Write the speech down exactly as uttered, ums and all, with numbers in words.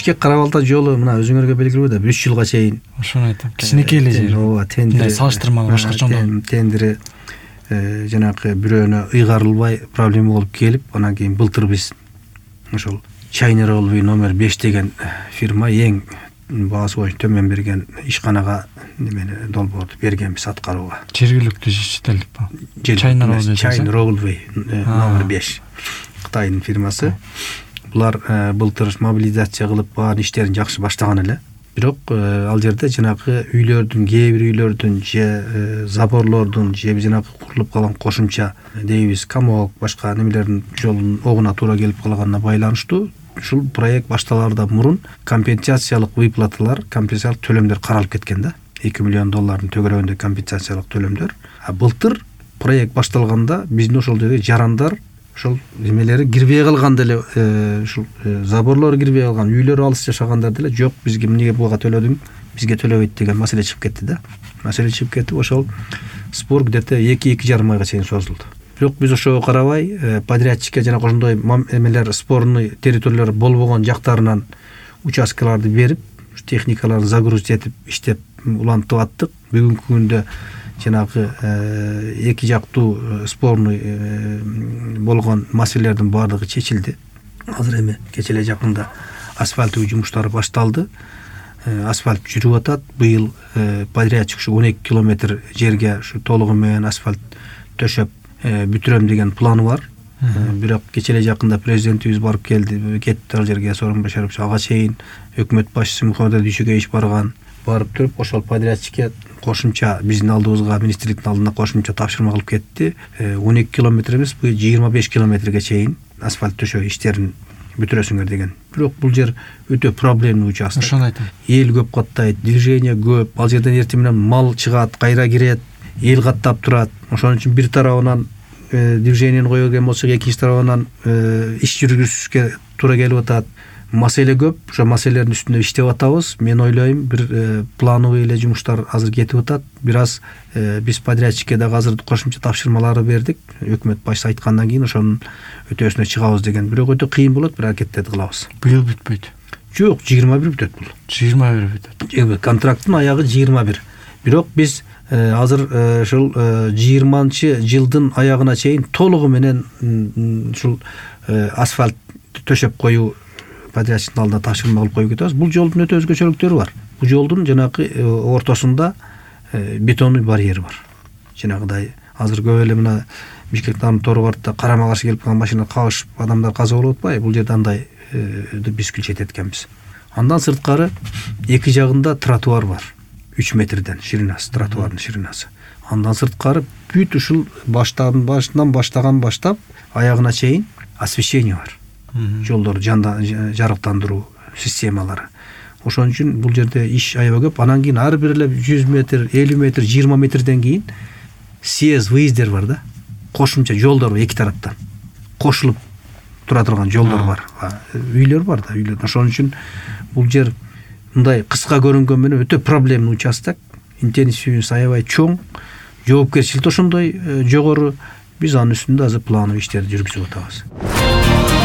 бишкек кара балта жолу мына өзүңөргө белгилүү да үч жылга чейин ошону айтам. Кичинекей эле жер. ооба, тендери салыштырмалуу башкача тендери жанагы бирөөнө ыйгарылбай проблема болуп келип, анан кийин былтыр биз ошол Чайнер Олби номер беш деген фирма эң баасы боюнча төмөн берген ишканага немени долбоорду бергенбиз аткарууга. Жергиликтүү шетелдик ба? Чайнер Олби номер беш Кытайдын фирмасы. Булар былтыр мобилизация кылып баарын иштерин жакшы баштаган эле. Бирок ал жерде жанагы үйлөрдүн, кээ бир үйлөрдүн же заборлордун же жанагы курулуп калган кошумча дейбиз комок, башка немелердин жолунун огуна туура келип калганына байланыштуу ушул проект башталаардан мурун компенсациялык выплаталар, компенсациялык төлөмдөр каралып кеткен да. эки миллион доллардын төгөрөгүндө компенсациялык төлөмдөр. А былтыр проект башталганда биздин ошол жерде жарандар ошол немелери кирбей калган деле, ушул заборлор кирбей калган, үйлөрү алыс жашагандар деле жок, бизге эмнеге буга төлөдүң, бизге төлөбөйт деген маселе чыгып кетти да. Маселе чыгып кетип, ошол спор где-то эки эки жарым айга чейин созулду. Бирок биз ошого карабай, подрядчикке жана ошондой эмелер, спорный территориялар болбогон жактарынан участкаларды берип, техникаларды загрузить этип, иштеп улантып аттык. Бүгүнкү күндө жанагы эки жактуу спорный болгон маселелердин баардыгы чечилди. Азыр эми кече эле жакында асфальттуу жумуштары башталды. Асфальт жүрүп атат. Быйыл подрядчик ушу он эки километр жерге ушу толугу менен асфальт төшөп бүтүрөм деген планы бар. Бирок кече эле жакында президентибиз барып келди, кетти ал жерге, Сооронбай Башарович ага чейин өкмөт башчысы Мухаммед Дүйшөкеевич барган. Барып туруп ошол подрядчикке кошумча биздин алдыбызга, министрликтин алдына кошумча тапшырма кылып кетти. он эки километр эмес, бул жыйырма беш километрге чейин асфальт төшөө иштерин бүтүрөсүңөр деген. Бирок бул жер өтө проблемный участок. Ошону айтам. Эл көп каттайт, движение көп. Ал жерден эртең менен мал чыгат, кайра кирет, эл каттап турат. Ошон үчүн бир тарабынан движениени кое берген болсок, экинчи тарабынан иш жүргүзүшкө туура келип атат. Маселе көп. Ошо маселелердин үстүндө иштеп атабыз. Мен ойлойм, бир плановый эле жумуштар азыр кетип атат. Бир аз биз подрядчикке дагы азыр кошумча тапшырмалары бердик. Өкмөт башчысы айткандан кийин ошонун өтөөсүнө чыгабыз деген. Бирок өтө кыйын болот, бир аракеттерди кылабыз. Быйыл бүтпөйт. Жок, жыйырма бир бүтөт бул. жыйырма бир бүтөт. Контракттын аягы жыйырма бир. Бирок биз азыр ушул жыйырманчы жылдын аягына чейин толугу менен ушул асфальт төшөп коюу подрядчиктин алдына тапшырма кылып коюп кетебиз. Бул жолдун өтө өзгөчөлүктөрү бар. Бул жолдун жанагы ортосунда бетонный барьер бар. Жанагыдай азыр көп эле мына Бишкектин торбартта карама каршы келип калган машина кабышып адамдар каза болуп атпайбы? Бул жерде андай биз күчөйт эткенбиз. Андан сырткары эки жагында тротуар бар. үч метрден ширинасы, тротуардын ширинасы. Андан сырткары бүт ушул баштан башынан баштаган баштап аягына чейин освещение бар. Жолдор жарыктандыруу системалары. Ошон үчүн бул жерде иш аябай көп. Анан кийин ар бир эле жүз метр, элүү метр, жыйырма метрден кийин съезд, выездер бар да. Кошумча жолдор бар эки тараптан. Кошулуп тура турган жолдор бар. Үйлөр бар да, үйлөр. Ошон үчүн бул жер мындай кыска көрүнгөн менен өтө проблемный участок. Интенсивность аябай чоң, жоопкерчилик ошондой жогору. Биз анын үстүндө азыр плановый иштерди жүргүзүп атабыз.